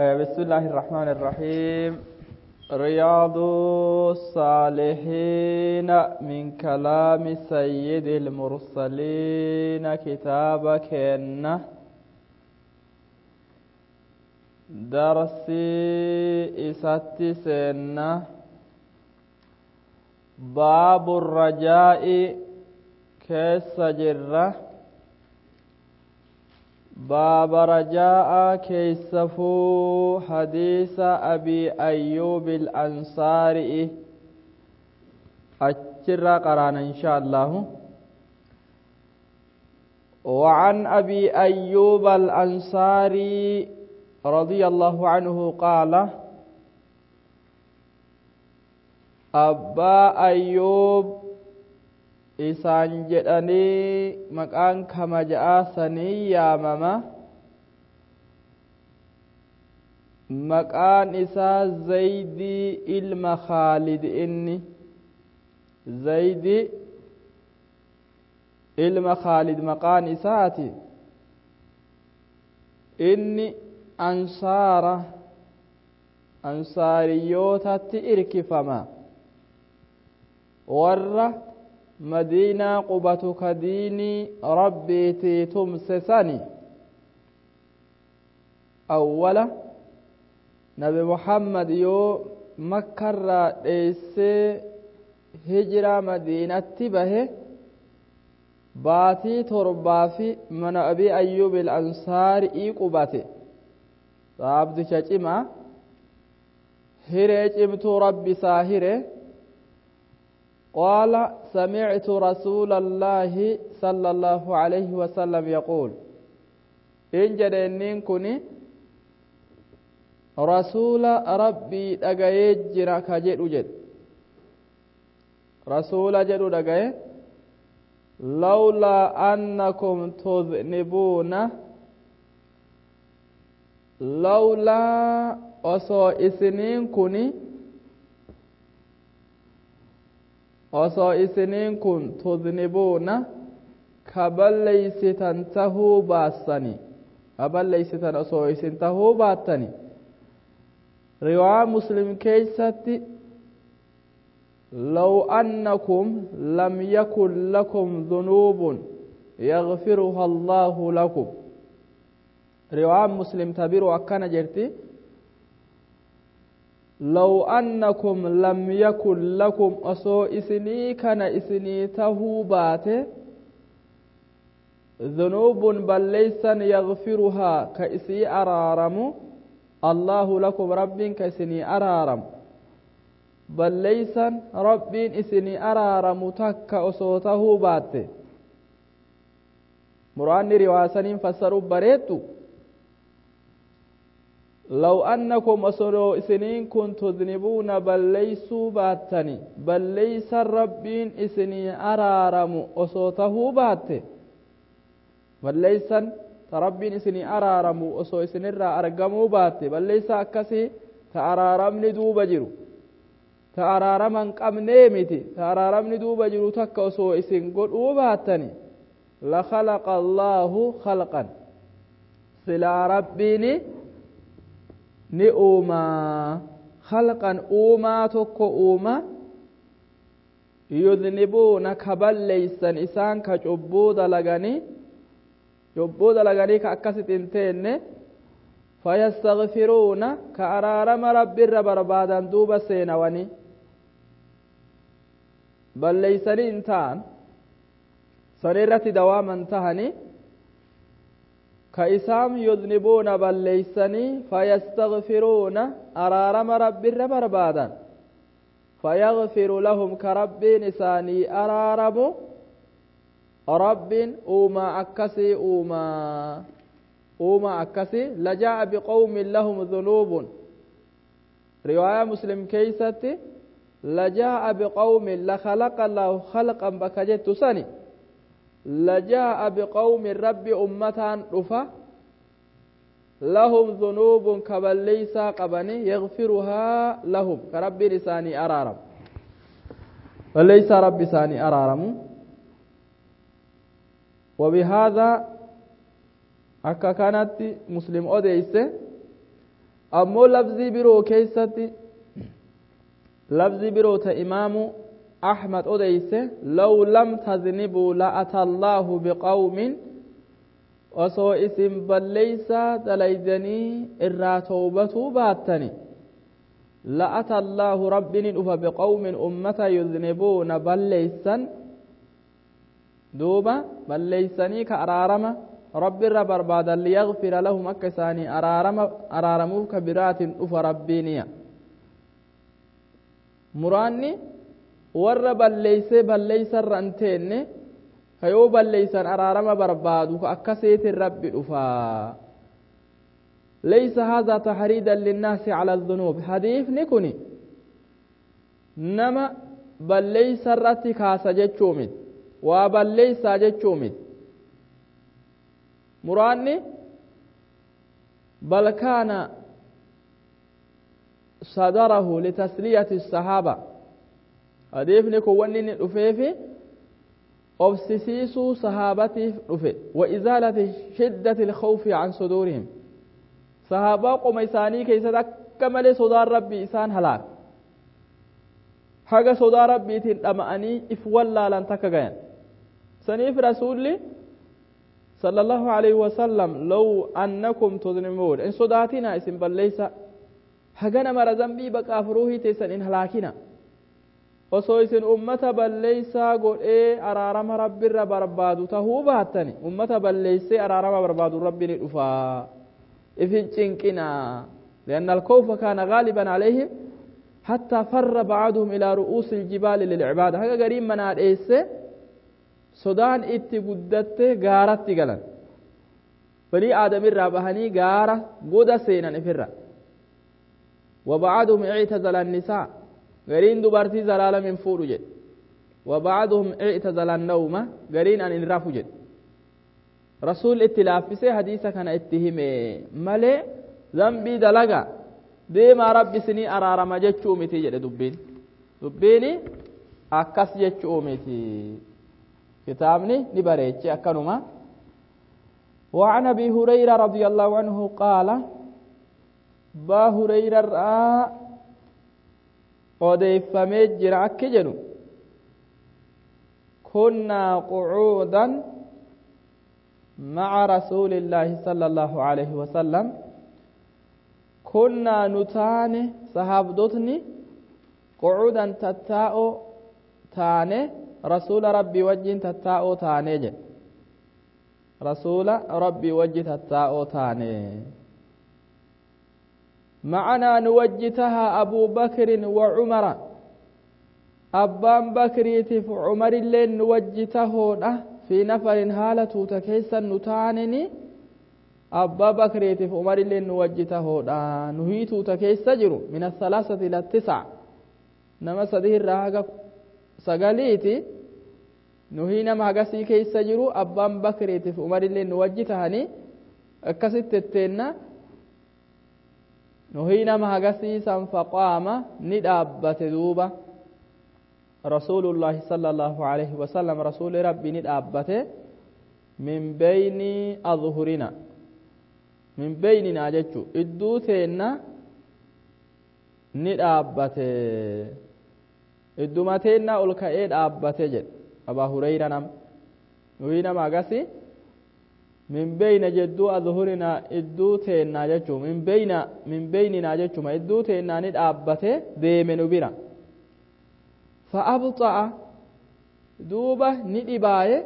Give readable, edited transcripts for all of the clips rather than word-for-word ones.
بسم الله الرحمن الرحيم. رياض الصالحين من كلام سيد المرسلين. كتابك درسي إساتي سنة. باب الرجاء كيس جره. باب رجاء كيسفو حديث أبي أيوب الأنصاري أجرى قرانا إن شاء الله. وعن أبي أيوب الأنصاري رضي الله عنه قال: أبا أيوب isaan jedhanii maqaan kamaja'aa sanii yaamama. Maqaan isaa Zaydii ilma Khaalid. Inni Zaydii ilma Khaalid maqaan isaati. Inni ansaara, ansaariyyootatti irkifama, warra madiinaa qubatu ka diinii rabbiitii tumse sani. Awwala Nabi Muhammad yoo Makkarraa dheessee hijiraa Madiinatti bahe, baatii 7 fi mana Abii Ayyuub Ansaarii qubate. Saabdicha cimaa, hiree cimtuu Rabbi isaa hire. قال: سمعت رسول الله صلى الله عليه وسلم يقول. إن جدنين كني رسول ربي دغاي جرا كجدو جد رسول جدو دغاي: لولا أنكم تذنبون، لولا osoo isiniin kuni, osoo isiniin kun tudnibuuna ka balleeysitan tahuu baassani, ka balleeysitan osoo isin tahuu baattani. Riwaa Muslim keeysatti: لو أنكم لم يكن لكم ذنوب يغفرها الله لكم. رواية مسلم تبير أكان جرتي: لو أنكم لم يكن لكم أصو إسني كان إسني تهوبات ذنوب بل ليس يغفرها كإسي أرارم الله لكم، رب كإسني أرارم بل ليس رب إسني أرارم تك أصو تهوبات. مراني رواسنين فسروا بريتو: لو أنكم أصلوا إسنين كنت تذنبون بل ليسوا باتني بل ليس ربين إسني أرارم أصوته بات، بل ليس ربين إسني أرارم أصو إسني أرقموا بات، بل ليس أكسي تأرارمني دوب جرو تأرارمن قم نيمتي تأرارمني دوب جرو تك أصو إسن قلوا باتني لخلق الله خلقا سلا ربيني ni uumaa khalqan uumaa tokko uuma yudnibuuna ka balleeysan isaan ka cubbuu dalaganii, cubbuu dalaganii ka akkasit hin teenne, fayastaghfiruuna ka araarama Rabbiirra barbaadan duuba seenawanii balleeysanii hin ta'an san irratti dawaaman tahanii ka isaan yudnibuuna balleeysanii fayastaghfiruuna araarama Rabbiirra barbaadan, fayaghfiru lahum ka Rabbiin isaanii araaramu. Rabbiin uumaa akkasii uumaa uumaa akkasii lajaa'a biqawmin lahum dhunuubun. Riwaayaa Muslim keeysatti lajaa'a biqawmin lakhalaqa Allahu khalqan bakka jettu sani لجاء بقوم رب أمتان رفا لهم ذنوب كبليسا قبني يغفرها لهم كرب لساني أرارم وليس رب ساني أرارم. وبهذا أكا كانت مسلم أوديس. Ammoo lafzii biroo keessatti, lafzii biroo ta Imaamu Ahmad odeyse, law lam taznibuu la'ata Allaahu biqawmin, osoo isin balleeysaa dalaydanii irraa towbatuu baattani, la'ata Allaahu, Rabbi ni dhufa, biqawmin, ummata, yuznibuuna, balleeysan, duuba balleeysanii ka araarama Rabbi irra barbaadan, liyagfira lahum, akka isaanii araarama araaramuuf ka biraatin dhufa Rabbiiniya. Muraanni warra balleeysee balleeysarra hin teenne, ka yoo balleeysan araarama barbaadu, ka akkasiitin Rabbi dhufaa. Laysa haadhaa taxriidan linnaasi cala adunuub. Hadiifni kun nama balleeysa irratti kaasa jechuu miti, waa balleeysaa jechuu miti muraanni. Bal kaana sadarahu litasliyati sahaaba. Hadiifni kun wanni inni dhufeefi obsisiisuu sahaabatiif dhufe, wa izaalati shiddati ilkhawfi can suduurihim. Sahaabaa qoma isaanii keessatti akka malee sodaan Rabbii isaan halaaka, haga sodaa Rabbiitiin dhama'anii if wallaalan takka gayan. Saniif Rasuulli صلى الله عليه وسلم لو أنكم تذنبون, in sodaatina, isin balleeysa hagana mara zambii baqaaf ruuhii teessan in halaakina, osoo isin ummata balleeysaa godhee araarama Rabbirra barbaadu tahuu baattani, ummata balleeysee araarama barbaadu Rabbi ni dhufaa, ifin cinqinaa. لأن الخوف كان غالبا عليهم حتى فر بعضهم إلى رؤوس الجبال للعبادة. هذا قريب من هذا sodaan itti guddatte gaaratti galan, banii aadamirraa bahanii gaara goda seenan ifirra. وبعضهم اعتزل النساء, gariin dubartii zalaalam hin fuudhu jedhe. وبعضهم اعتزل النوم, gariin an hin rafu jedhe. Rasuul itti laaffisee hadiisa kana itti hime malee, zambii dalaga deemaa Rabbi isinii araarama jechuu miti jedhe. Dubbiin akkas jechuu miti. Kitaabni ni bareeche akkanuma. وعن ابي هريره رضي الله عنه قال, با هريره را odeeffamee jira akki jedhu: كنا قعودا مع رسول الله صلى الله عليه وسلم. كنا, نتانه, sahaabdotni, قعودا, tattaa'oo taane, Rasuula Rabbii wajjin tattaa'oo taane jedhe. Rasuula Rabbii wajji tattaa'oo taane. Macanaa, nu wajji taha, Abuu Bakrin wa Cumara, abbaan Bakriitiif Cumarilleen nu wajji tahoodha. Fi nafarin, haala tuuta keessan nu taaneni, abbaa Bakriitiif Umarilleen nu wajji tahoodha. Nuhii tuuta keessa jiru min asalaasati ila tis'a, nama sadi irraa haga sagaliiti. Nuhii nama hagasii keessa jiru, abbaan Bakriitiif Umarillee nu wajji tahanii akkasitti etteenna. Nuhii nama hagasii san. Faqaama, ni dhaabbate duuba, Rasuulullaahi sala Allaahu alayhi wasalam, Rasuuli Rabbii ni dhaabbate, min beyni adhurina, min beyninaa jechu, idduu teenna ni dhaabbate, idduma teennaa ol ka'ee dhaabbate jedhe Abaa Hureyra. Nam nuyi nama agasi, min beyna jedduu, adhurinaa, idduu teennaa jechuu, min beyna, min beyninaa jechuma, idduu teennaa ni dhaabbate deeme nu bira. Fa'abxa'a, duuba ni dhibaaye,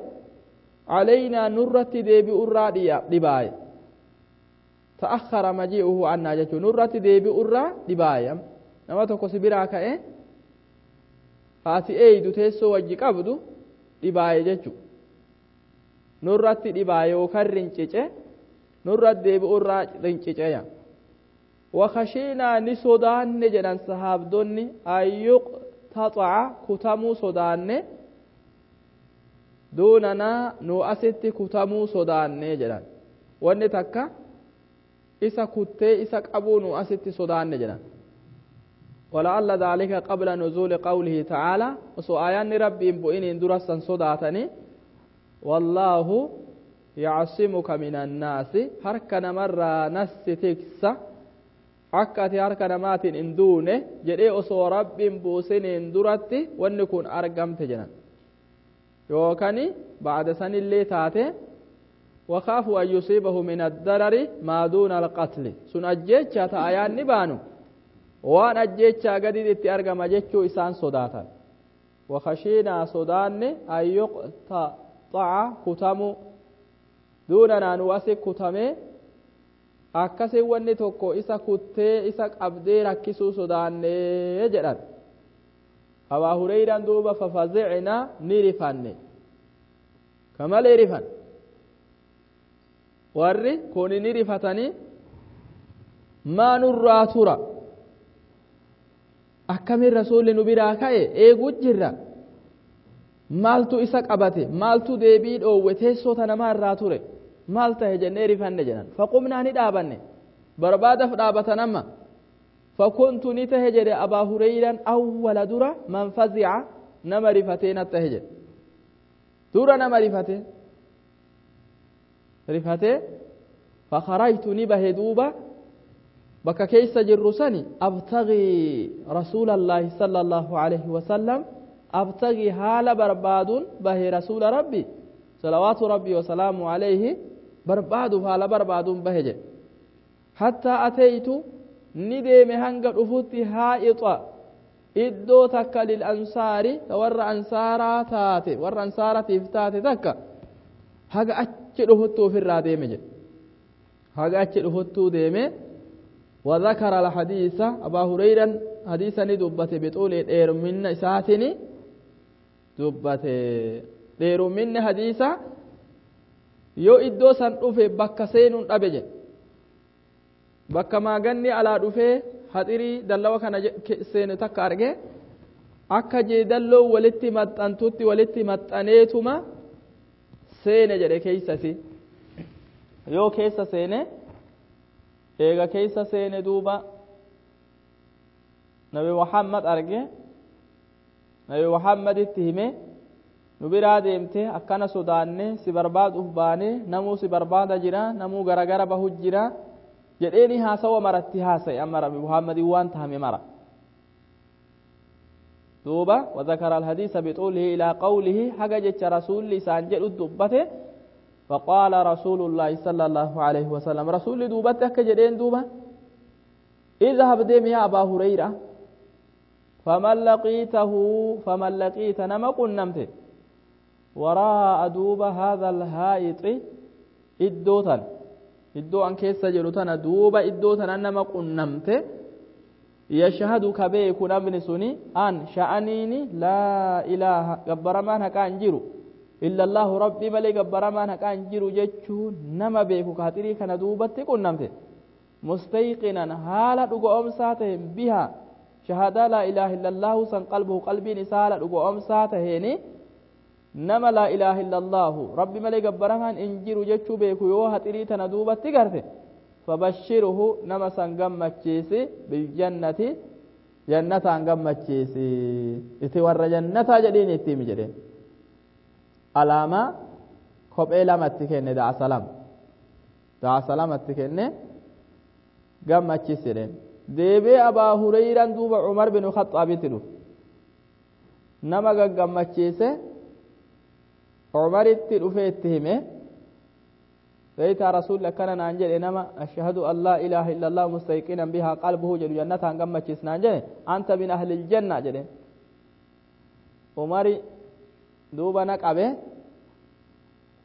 calaynaa, nurratti deebi'urraa dhibaaye. Ta'akhara maji'uhu annaa jechuu, nurratti deebi'urraa dhibaaye. Nama tokko si biraa ka'e, haati eeydu teessoo wajji qabdu, dhibaaye jechu, nurratti dhibaaye yookaan rincice, nurratti deebi'urraa rinciceya. Wakashiinaa, ni sodaanne jedhan sahaabdonni, ayyuqtaxaca, kutamuu sodaanne, duunanaa, nu asitti kutamuu sodaanne jedhan. Wanni takka isa kuttee isa qabuu nu asitti sodaanne jedhan. ولعل ذلك قبل نزول قوله تعالى, osoo aayaanni Rabbiin bu'iniin durassan sodaatanii, والله يعصمك من الناس, harka namarraa nassi tiksa. Akka ati harka namaatiin hin duune jedhee osoo Rabbiin buusiniin duratti wanni kun argamte jedhan. Yookaan ba'ada sanillee taate wakaafu an yusiibahu min addarari maa duuna alqatli sun ajjeechaa ta'a yaanni baanu waan ajjeechaa gadiin itti argama jechuu isaan sodaatan. Wakashiinaa sodaanne an yuqtaxa'a kutamu duunanaa nu asi kutamee akkasii wanni tokko isa kuttee isa qabdee rakkisuu sodaannee jedhan. Abaa Hureyraan duuba fafazicnaa ni rifanne, kamalee rifan warri kuni ni rifatanii maa nurraa tura, akkamin rasuulli nu biraa ka'e eeguu jirra, maaltu isa qabate, maaltu deebii dhoowwe, teessoo namaa irraa ture maal tahe jennee rifanne jedhan. Faqumnaa ni dhaabanne, barbaadaf dhaabatan amma. Fakuntu ni tahe jedhe Abaa Hureyraan awwala dura man fazica nama rifatee na tahe jedhe, dura nama rifate rifatee. Fakarajtu ni bahe duuba bakka keessa jirru sani abtagii rasuulallaahi sala allaahu alayhi wasalam, abtagii haala barbaaduun bahe rasuula Rabbi salawaatu Rabbii wasalaamu alayhi barbaaduuf haala barbaaduun bahe jedhe. Hattaa ateytu ni deeme hanga dhufutti haa'ixa iddoo takka lil ansaari ta warra ansaaraa taate, warra ansaaratiif taate takka haga achi dhufuttu ofirraa deeme jedhe, haga achi dhufuttuu deeme. وذكر الحديث أبا هريرة حديثا دبت بطول دير من إساتني دبت دير من حديثا yoo iddoo san dhufe bakka seenuun dhabe jedhe, bakka maaganni alaa dhufee haxirii dallawa kana seenu takka arge, akka jeedalloo walitti maxxantutti walitti maxxaneetuma seene jedhe keeysasi. Yoo keessa seene, eega keessa seene duuba Nabi Muhammad arge, Nabi Muhammaditti hime, nu biraa deemte akkana sodaanne si barbaaduuf baane, namuu si barbaada jira, namuu garagara bahu jira jedheeni haasawa maratti haasa'e. Amma Nabi Muhammadin waan tahame mara duuba وذكر الحديث بطوله إلى قوله حاجة جتش رسول لسان جل دبته. فقال رسول الله صلى الله عليه وسلم رسول دوبته كجدين دوبة اذهب ديم يا أبا هريرة فمن لقيته فمن لقيت نما قنمت وراء دوبة هذا الهائط إدوتن إدو أن كيس جلوتن دوبة إدوتن نما قنمت يشهد كبيك نبني سني أن شأنيني لا إله قبرمان هكا أنجرو إلا الله ربي ملي قبرمان هكا أنجرو جتشو نما بيكو كاتري كان دوبة قنمت مستيقنا حالة أمساتهم بها شهادة لا إله إلا الله سن قلبه قلبي نسالة أمساتهني نما لا إله إلا الله ربي ملي قبرمان إنجرو جتشو بيكو يوها تريتنا دوبة تقرته فبشره نما سن قمتشيسي بالجنة جنة قمتشيسي اتور جنة جدين اتيمي جدين علامة كوب إلى متكين دع سلام دع سلام متكين قمتشيسي deebee Abaa Hurayraan duuba Umar bin Khaxaabitti dhufe, nama gaggammachiise Umaritti dhufee itti hime, beeytaa rasuulli akkana naan jedhe, nama ashhadu an laa ilaaha illallah mustayqinan bihaa qalbuhu jedhu jannataan gammachiis naan jedhe, anta min ahlil janna jedhe. Umari duuba na qabe,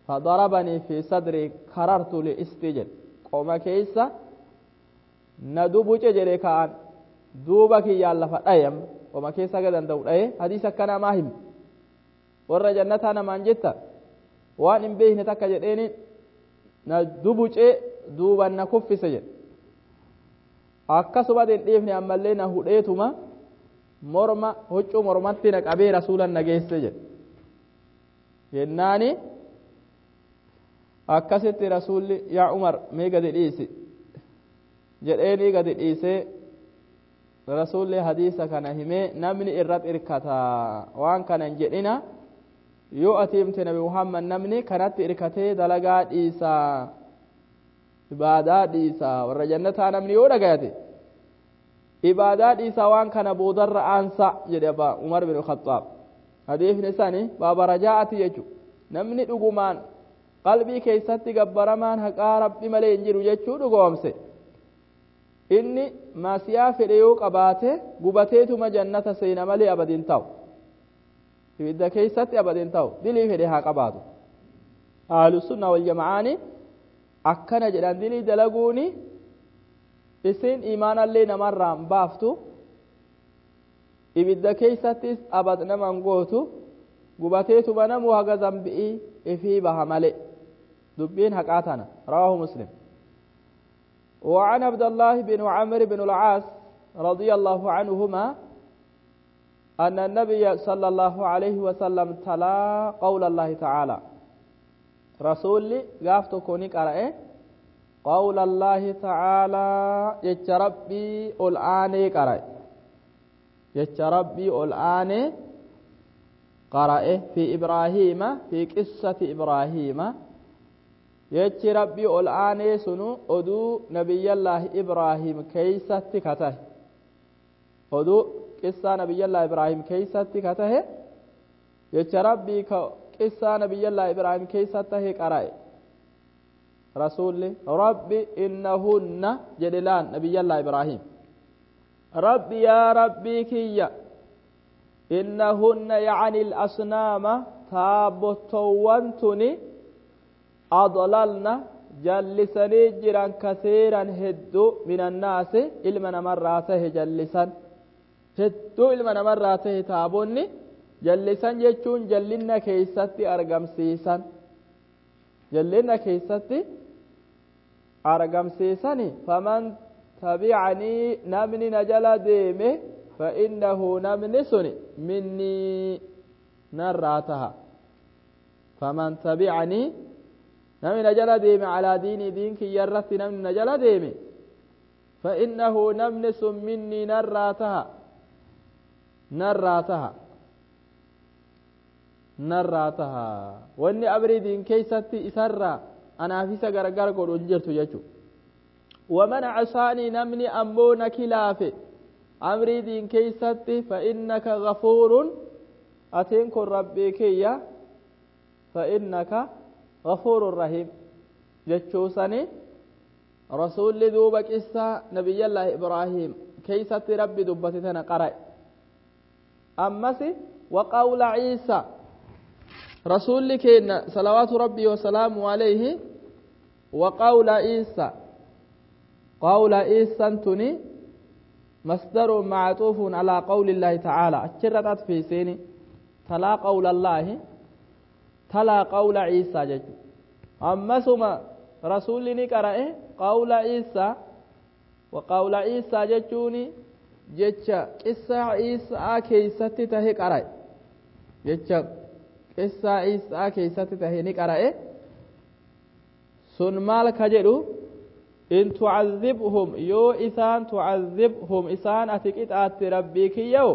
fadarabanii fi sadrii karartu liisti jedhe, qoma keeysa na dubuce jedhe, ka'an duuba kiyyaan lafa dhaye, amma qoma keessa aga danda'u dhaye. Hadiisa akkanaa maa himi warra jannataa namaan jetta waan hin beekne takka jedheeni na dubuce duuban na kuffise jedhe. Akkasuma hin dhiifne, ammallee na hudheetuma morma huccuu mormatti na qabee rasuulan na geesse jedhe. Jennaani akkasitti rasuulli yaa Umar mee gadi dhiisi jedheeni gadi dhiisee. Rasuulli hadiisa kana himee namni irratti irkata waan kana hin jedhina, yoo ati himte Nabi Muhammad namni kanatti irkatee dalagaa dhiisaa, ibaadaa dhiisaa, warra jannataa namni yoo dhagayate Ibaadaa dhiisaa waan kana boodarra aansa jedhe abbaa Umar bin Khaxaab. Hadiifni isaanii baaba rajaa'ati jechuudha. Namni dhugumaan qalbii keessatti gabbaramaan haqaa Rabbi malee hin jiru jechuu dhugoomse. Inni maasiyaa fedhe yoo qabaate gubateetuma jannata seena malee abadiin ta'u. Ibidda keessatti abadiin ta'u dilii fedhe haa qabaatu. Ahlusunna wal jama'aani akkana jedhan dilii dalaguuni isin imaanallee namarraa hin baaftu, ibidda keessattis abad naman gootu, gubateetuma namuu haga zambi'ii ifii baha male. Dubbiin haqaa tana. Rawaahu Muslim. وعن عبد الله بن عمرو بن العاص رضي الله عنهما أن النبي صلى الله عليه وسلم تلا قول الله تعالى. رسولي قافتو كوني قرأ قول الله تعالى يتربي الآن قرأ، يتربي الآن قرأ في إبراهيم، في قصة إبراهيم. يتربي الآن سنو أدو نبي الله إبراهيم كيسة كته، أدو قصة نبي الله إبراهيم كيسة كته. يتربي قصة نبي الله إبراهيم كيسة قرأ رسول ربي إنهن جدلان نبي الله إبراهيم. ربي يا ربي كي إنهن يعني الأصنام تابتوانتني أضللنا جلسني جرا كثيرا هدو من الناس إلما نمراته جلسا هدو إلما نمراته تابوني جلسا جتشون جلنا كيستي أرقم سيسا جلنا كيستي أرقم سيساني. فمن تبعني نمني نجل ديمه فإنه نمني سني مني نراتها. فمن تبعني نمني نجل ديمه على ديني دينك يرث نمني نجل ديمه فإنه نمني سن مني نراتها نراتها نراتها. واني أبري دين كيستي إسرى أنا أفيس غرغر قد أنجرت يجو. ومن عصاني نمني أمون كلافي أمري دين كيستي فإنك غفور أتينك ربي كيا فإنك غفور رحيم جتشوسني. رسول دوبك إسا نبي الله إبراهيم كيستي ربي دبتتنا قرأ. أمسي وقول عيسى رسول كينا صلوات ربي وسلامه عليه. وقول عيسى قول عيسى تني مصدر معطوف على قول الله تعالى. أشرت في سيني تلا قول الله تلا قول عيسى جج. أما ثم رسول نقرأ قول عيسى وقول عيسى ججوني جج قصة عيسى كيستي تهي قرأ جج قصة عيسى كيستي تهي نقرأ. سن مالك جدو إن تعذبهم يو إسان تعذبهم إسان أتكت آت ربك يو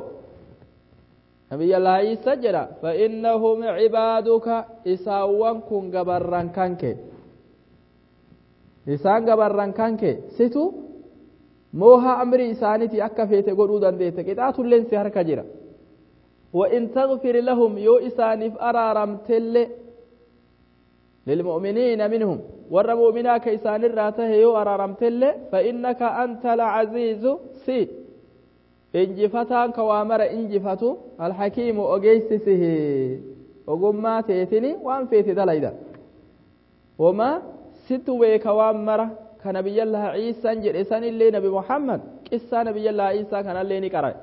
نبي الله عيسى جرى فإنهم عبادك إساوان كن قبران كانك إسان قبران كانك ستو موها أمري إسانتي أكفيت قرودا ديتك إتاتو لنسي هرك جرى. وإن تغفر لهم يو إسانف أرارم تل للمؤمنين منهم ور مؤمنا كيسان الراته يو أرارم تل فإنك أنت العزيز سي إنجفتان كوامر إنجفتو الحكيم أجيسسه وقم تيتني وأن فيتي دليدا وما ستوي كوامر كنبي الله عيسى جرسان اللي نبي محمد قصة نبي الله عيسى كان اللي نقرأ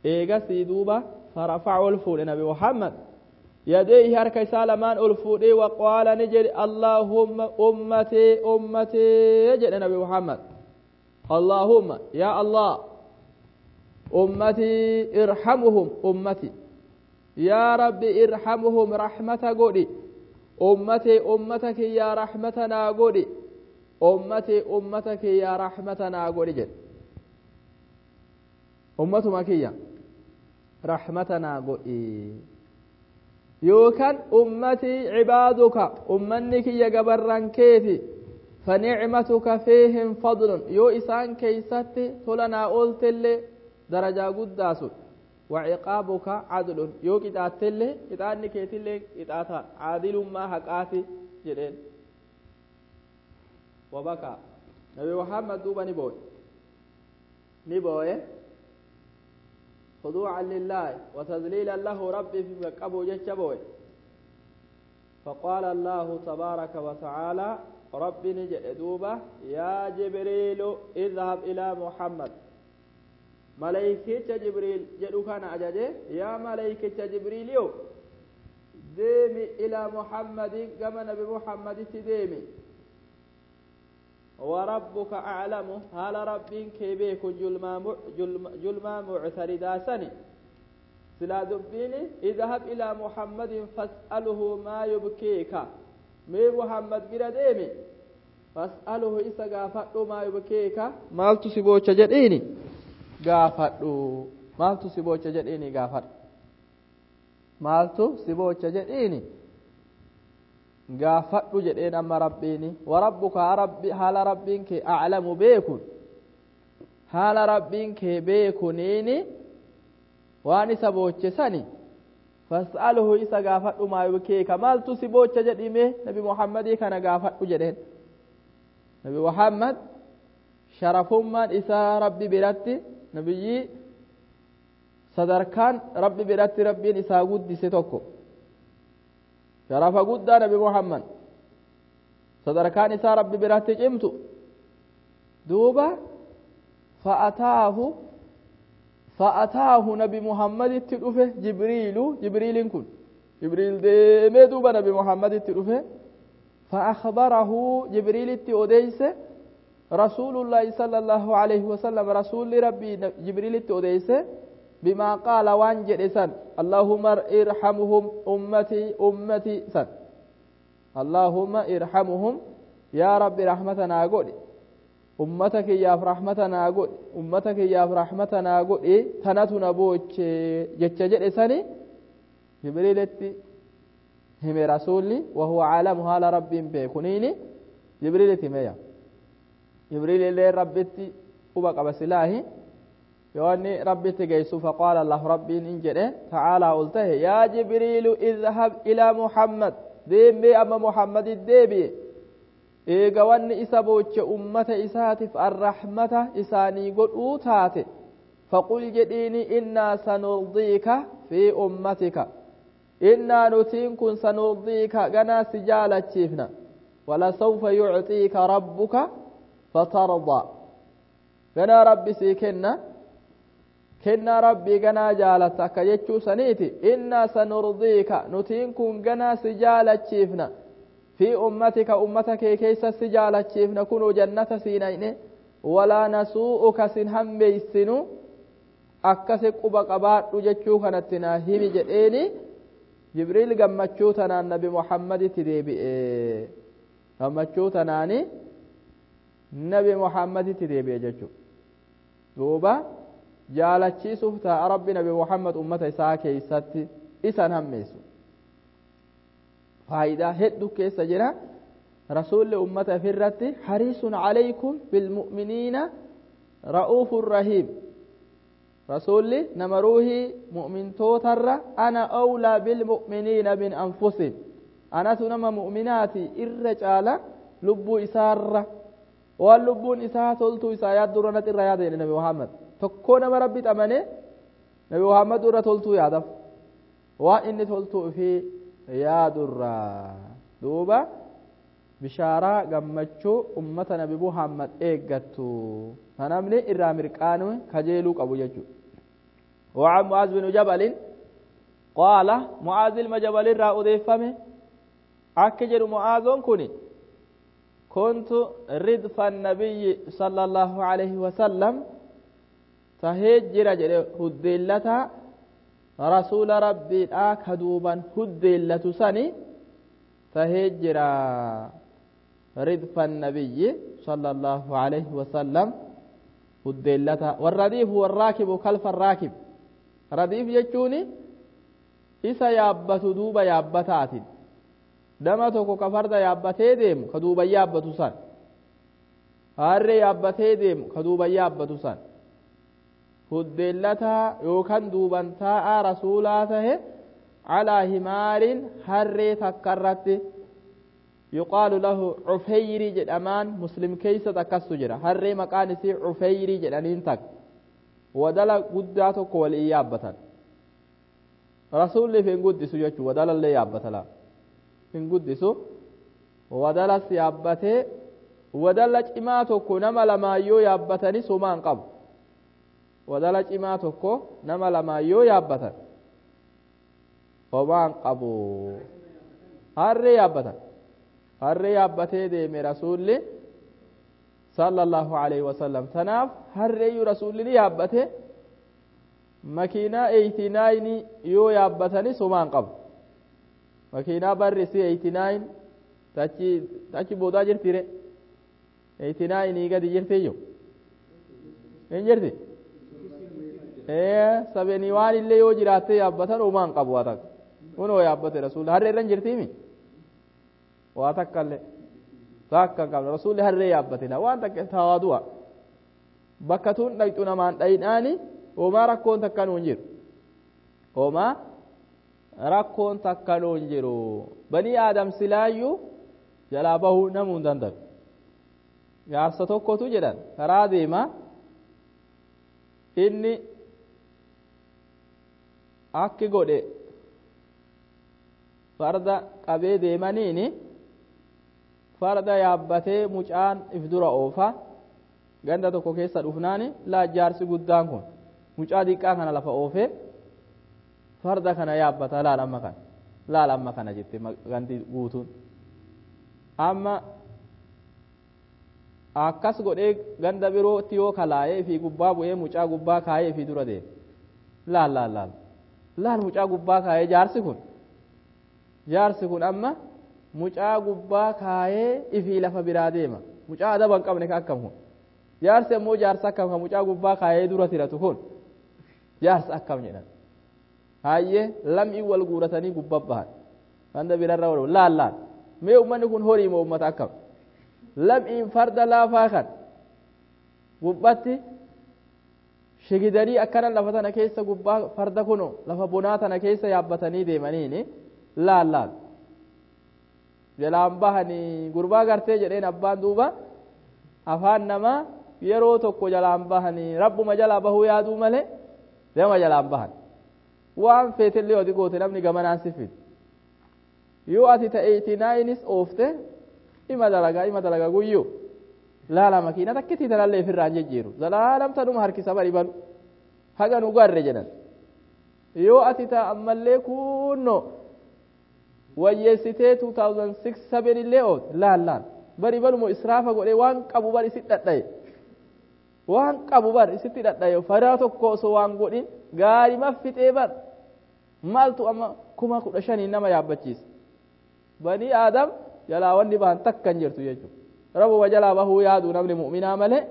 إيغا سيدوبا فرفعوا الفول نبي محمد يديه هركي سالمان الفول وقال نجد اللهم أمتي أمتي يجد نبي محمد اللهم يا الله أمتي ارحمهم أمتي يا ربي ارحمهم رحمة قولي أمتي أمتك يا رحمتنا قولي أمتي أمتك يا رحمتنا قولي جد أمتك يا رحمتنا قولي يوكان أمتي عبادك أمنك يا جبران كيتي فنعمتك فيهم فضل يو إسان كيستي تلنا أولتلي درجة قداس وعقابك عدل يو قطعتلي قطعني كيتلي قطعتا عادل ما حقاتي جدين وبكى نبي محمد دوبا نبوي نبوي خضوعا لله وتذليلا له ربي في مكبو جتشبوي فقال الله تبارك وتعالى ربي نجد دوبا يا جبريل اذهب إلى محمد ملائكة جبريل جدو كان أجاجي يا ملائكة جبريل يو ديمي إلى محمد كما نبي محمد تديمي وربك أعلم هل ربك كيبيك جلما معتردا سني سلا دبيني اذهب إلى محمد فاسأله ما يبكيك مي محمد بلا ديمي فاسأله إسا غافأتو ما يبكيك مالتو سيبوچ جديني غافأتو مالتو سيبوچ جديني غافأت مالتو سيبوچ جديني gaafadhu jedheen amma rabbiini warabbuka rabbi haala rabbiin kee aclamu beekun haala rabbiin kee beekuniini waan isa boochesani fas'aluhu isa gaafadhu maa yubkeeka maaltu si boocha jedhime nabi muhammadii kana gaafadhu jedheen nabi muhammad sharafummaan isaa rabbi biratti nabiyyii sadarkaan rabbi biratti rabbiin isaa guddise tokko sharafa guddaa nabi muhammad sadarkaan isaa rabbi biratti cimtu duuba fa'ataahu nabi muhammaditti dhufe jibriilu jibriilin kun jibriil deemee duuba nabi muhammaditti dhufe فأخبره جبريل أوديس رسول الله صلى الله عليه وسلم رسول ربي جبريل أوديس بما قال وان جدسن اللهم ارحمهم أمتي أمتي سن اللهم ارحمهم يا رب رحمتنا قل أمتك يا رحمتنا قل أمتك يا رحمتنا قل تنتنا بوچ جچ جدسني جبريل هم رسولي وهو عالم هال رب بيكونيني جبريل تميا جبريل اللي ربتي وبقى بسلاهي يواني ربي تجيسو فقال الله ربي إن تعالى قلته يا جبريل اذهب إلى محمد ديمي أما محمد الديبي إيقواني إسابوش أمة إساتف الرحمة إساني قل أوتاتي فقل جديني إنا سنرضيك في أمتك إنا نتين سنرضيك غنا سجالة شيفنا ولسوف يعطيك ربك فترضى غنا ربي سيكنا kennaa rabbii ganaa jaalatta akka jechuu saniiti innaa sanurdiika nutiin kun ganaa si jaalachiifna fi ummatika ummata kee keessa si jaalachiifna kunuu jannata siinayne walaa nasuu'uka sin hammeeysinu akkasi quba qabaadhu jechuu kanatti naa himi jedheeni jibriil gammachuu tanaan nabi muhammaditti deebi'e gammachuu tanaani nabi muhammaditti deebi'e jechuu duuba jaalachiisuuf ta'a rabbi nabi muhammad ummata isaa keeysatti isan hammeessu faayidaa hedduu keessa jira rasuulli ummata ifirratti hariisun calaykum bilmu'miniina ra'uufun rahiim rasuulli nama ruuhii mu'mintootarra ana awlaa bilmu'miniina min anfusihim anatu nama mu'minaati irra caala lubbuu isaarra waan lubbuun isaa toltuu isaa yaaddurra natti irra yaada jedhe nabi muhammad tokkoo nama rabbi xamane nabi muhammad irra toltuu yaadaf waan inni toltuu ofii yaadurraa duuba bishaaraa gammachuu ummata nabi muhammad eeggattu namni irraa mirqaanu kajeeluu qabu jechuudha. وعن معاذ بن جبل قال معاذ المجبل را أضيفمه أكجر معاذ كني كنت ردف النبي صلى الله عليه وسلم تهجر جري هدلتا رسول ربي آكدوبا هدلة سني تهجر ردف النبي صلى الله عليه وسلم هدلتا والرديف هو الراكب خلف الراكب رديف يجوني isa yaabbatu duuba yaabbataatiin nama tokko ka farda yaabbatee deemu ka duuban yaabbatu san Harree yaabbatee deemu ka duuban yaabbatu san huddeellataa yookaan duuban taa'aa rasuulaa tahe calaa himaarin harree takka irratti yuqaalu lahu cufeyrii jedhamaan Muslim keeysa takkastu jira. Harree maqaan isii cufeyrii jedhaniin takka wadala guddaa tokko waliin yaabbatan. Rasuulliif hin guddisu jechuu wadalallee yaabbata laa hin guddisu. Wadalas yaabbatee wadala cimaa tokko nama lamaayyoo yaabbatanii somaa hin qabu. Wadala cimaa tokko nama lamaayyoo yaabbatan homaa hin qabu. Harree yaabbatan, harree yaabbatee deeme rasuulli sallallahu alaihi wasallam. Tanaaf harreeyyuu rasuulli ni yaabbate. Makiinaa 89 yoo yaabbatanii somaa hin qabu. Makiinaa barri si 89 tachi tachi boodaa jirtire 89 gadi jirtiyyo hin jirti. 71 illee yoo jiraatte yaabbatan homaa hin qabu. Waa takka kunoo yaabbate rasuulli. Harree irra hin jirtiimi, waa takka illee takka hin qabne. Rasuulli harree yaabbate la waan takka tawaadu'a bakka tun dhaqxu namaan dhayidhaani. Homaa rakkoon takka nuun jiru, homaa rakkoon takka nuun jiru. Banii aadam silaayyuu jalaa bahuu namuu hin danda'u. Jaarsa tokkotu jedhan karaa deema. Inni akki godhe farda qabee deemaniini farda yaabbatee mucaan if dura oofa. Ganda tokko keessa dhufnaani laa jaarsi guddaan kun mucaa diqqaa kana lafa oofee farda kana yaabbata. Laal amma kana, laal amma kana jette gandi guutuun. Amma akkas godhee ganda birootti yoo kalaayee fi gubbaa bu'ee mucaa gubbaa kaayee fi dura deeme. Laal laal laal laal mucaa gubbaa kaayee jaarsi kun, jaarsi kun amma mucaa gubbaa kaayee ifii lafa biraa deema. Mucaa adaba hin qabne ka akkam kun? Jaarsi ammoo jaarsa akkam ka mucaa gubbaa kaayee dura tiratu kun? Jaarsa akkam jedhan. Hayyee, lam'ii wal guuratanii gubbaa bahan. Ganda birarra wal laal laal mee ummanni kun horii moo ummata akkam? Lam'iin farda laafaa kan gubbatti shigidanii akkana lafa tana keessa gubbaa farda kuno lafa bonaa tana keessa yaabbatanii deemaniini. Laal laal jalaan bahanii gurbaa gartee jedheen abbaan. Duuba afaan namaa yeroo tokko jalaan bahanii rabbuma jalaa bahuu yaaduu malee nama jalaan bahan. Waan feetellee ati goote namni gamanaan si fidu. Yoo ati ta'e 89s oofte ima dalagaa, ima dalagaa guyyuu. Laala makiina takkitii tanallee ofirraan jijjiiru zalaalam tanuma harkisa bari balu haga nu garre jedhan. Yoo ati ta ammallee kunno wayyeessitee 2006 7 illee oofte laal laal bari balumo israafa godhee waan qabu bar isit dhadhaye, waan qabu bar isitti dhadhaye. Fadaa tokko osoo waan godhin gaarima fixee bar maaltu amma 15,000 nama yaabbachiisa? Banii aadam jalaa wanni bahan takka hin jirtu jechuudha. Rabbuma jalaa bahuu yaadu namni mu'minaa malee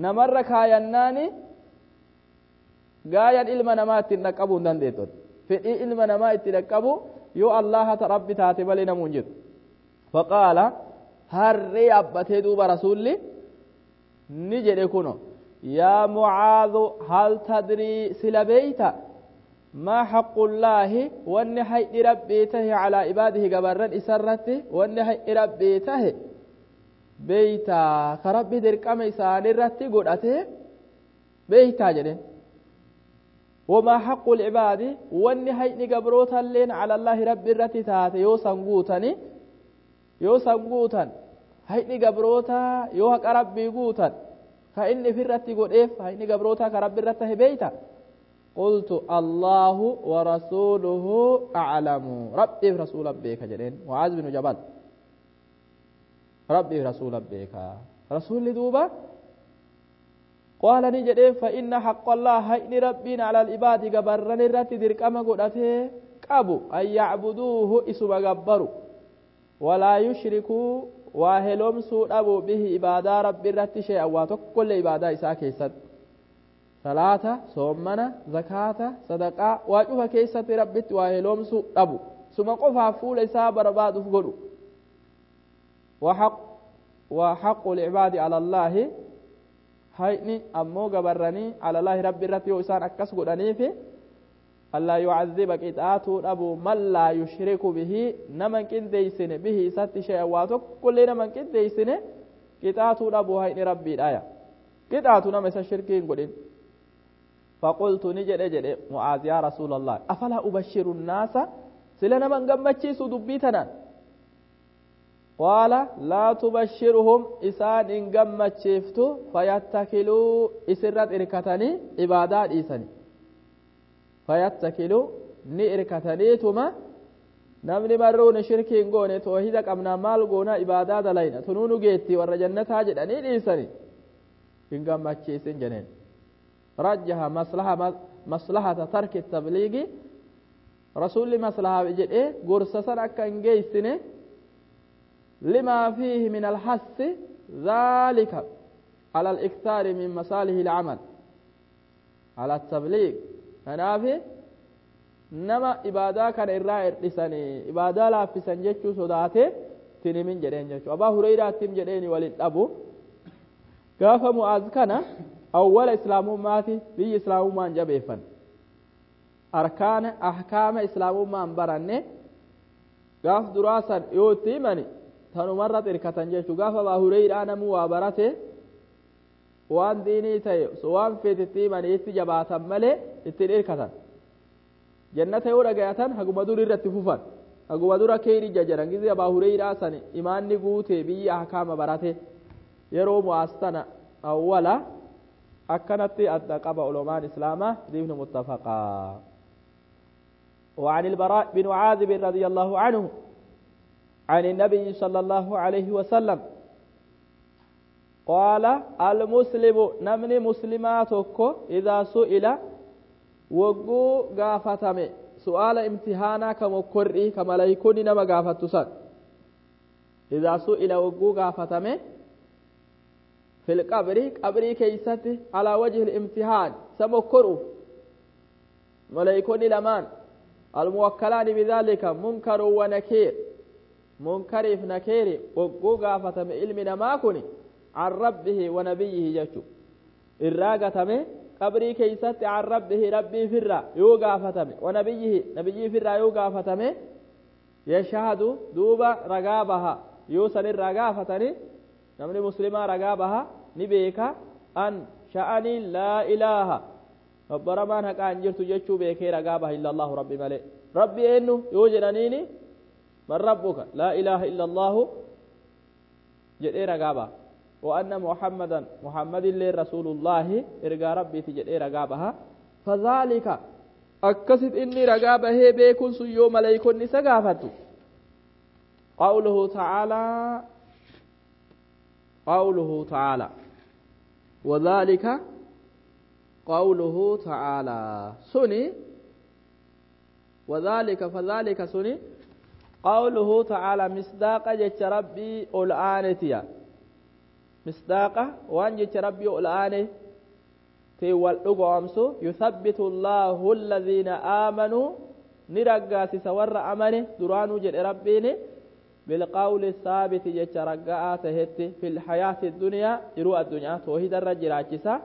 namarra kaayannaani gaayan ilma namaa ittiin dhaqqabuu hin dandeettu. Fedhii ilma namaa itti dhaqqabu yoo Allaha rabbi taate malee namuu hin jiru. Faqaala harree yaabbatee duuba rasuulli ni jedhe kuno: yaa Mucaadhu, hal tadrii, sila beeyta, maa haqqullaahi, wanni hay'i rabbii tahe, calaa ibaadihi, gabarran isarratti wanni hay'i rabbii tahe beeytaa, ka rabbi dirqama isaanirratti godhate beeytaa jedhen? Wamaa haqqu lcibaadi, wanni hayni gabrootalleen cala allaahi rabbi irratti taate, yoo san guutani, yoo san guutan hayni gabrootaa, yoo haqa rabbii guutan ka inni ifirratti godheef hayni gabrootaa ka rabbi irratti tahe beeyta? قلت الله ورسوله أعلم. ربي رسول بيك جدين معاذ بن جبل. ربي رسول بيك رسول دوبا. قال نجدين: فإن حق الله، هين ربنا، على العباد، قبرن الرت دركما قدته قبو، أن يعبدوه، إسما قبروا، ولا يشركوا، واهلهم سوء أبو، به، عبادة رب الرت، شيئا وتكل عبادة إساء كيست salaata, soommana, zakaata, sadaqaa waa cufa keessatti rabbitti waa heloomsuu dhabu, suma qofaaf fuula isaa barbaaduuf godhu. وحق العباد على الله hayni ammoo gabarranii alalaahi rabbi irratti yoo isaan akkas godhaniifi allaa yucadiba qixaatuu dhabu man laa yushriku bihi nama hin qindeeysine bihi isatti shay'an waa tokkollee nama hin qindeeysine qixaatuu dhabu hayni rabbiidhaya qixaatu nama isa shirkii hin godhin فقلت نجد جد معاذ يا رسول الله أفلا أبشر الناس سلا نمن قمتشيسو دبيتنا قال لا تبشرهم إسان إن قمتشيفتو فيتكلوا إسرت إركتني عبادات إيساني فيتكلوا ni irkataniituma namni marruun shirkii hin goone toohida qabnaa maal goona ibaadaa dalayna tunuu nu geetti warra jannataa jedhanii dhiisani hin gammachiisin jeneen رجح مصلحة مصلحة ترك التبليغ رسول مصلحة جدي غرسسن أكا إنجيسني لما فيه من الحس ذلك على الإكثار من مصالح العمل على التبليغ أنا في نما إبادة كان إراء إرساني إبادة لا في سنجتشو صداته تنمين جدين جتشو أبا هريرة تم جديني ولد أبو قاف معاذ كان أول إسلامummaati biyyi islaamummaan jabeeffan arkaana ahkaama islaamummaan baranne gaaf duraa san yoo itti himani tanumarra xirkatan jechuu gaaf abaa hureyraa namuu waa barate waan diinii ta'e waan feete itti himanii itti jabaatan malee ittiin irkatan jannata yoo dhagayatan haguma dur irratti fufan haguma dura keeyri jajaran gizi abaa hureyraa san imaanni guute biyyi ahkaama barate yeroo mu'aas tana awwala akkanatti adda qaba ulamaan islaamaa diifni muttafaqaa وعن البراء بن عازب رضي الله عنه عن النبي صلى الله عليه وسلم قال المسلم نمني مسلماتك إذا سئل وقو غافتم سؤال امتحانا كما كرئي كما لا يكون نما غافتسان إذا سئل وقو غافتم في القبر قبري كيستي على وجه الامتحان سمكروا ملائكون لمان الموكلان بذلك منكر ونكير منكر في نكير وقوقا فتم علمنا ما كني عن ربه ونبيه جتشو الراقة قبري كيستي عن ربه ربي فرا يوقا فتم ونبيه نبيه فرا يوقا فتم يشهد دوب رقابها يوصل الرقافة namni muslimaa ragaa baha ni beeka an sha'anii laa ilaaha gabbaramaan haqaa hin jirtu jechuu beekee ragaa baha illa allahu rabbi malee rabbi eenyu yoo jedhaniini man rabbuka laa ilaaha illa allahu jedhee ragaa baha وأن محمدا محمد اللي رسول الله إرجع ربي تجد رقابها فذلك أكست إني رقابه بيكون سيوم ملائكون نسقافته قوله تعالى قوله تعالى وذلك قوله تعالى سني وذلك فذلك سني قوله تعالى مصداق جت ربي الآنتيا مصداق وان جت ربي الآن تي والأقوامسو يثبت الله الذين آمنوا نرقى سور أمنه درانو جل ربيني بالقول الثابت جتش رقاء تهت في الحياة الدنيا يروى الدنيا توحيد الرجل عجسا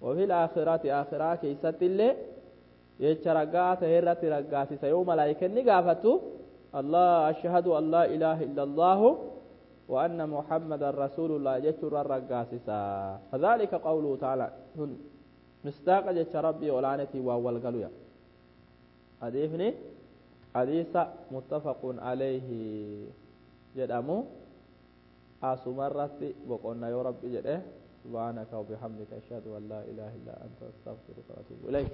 وفي الآخرة آخرة كيست اللي جتش رقاء تهرت رقاء سيوم ملائكة نقافتو الله أشهد أن لا إله إلا الله وأن محمد رسول الله جتش الرقاء فذلك قوله تعالى مصداق جتش ربي ولعنتي وأول قالوا حديثني حديث متفق عليه jedhamu asumarratti boqonna yoo rabbi jedhe subhaanaka wabihamdika ashhadu an laa ilaaha illaa anta astaghfiruka wa atuubu ilayk.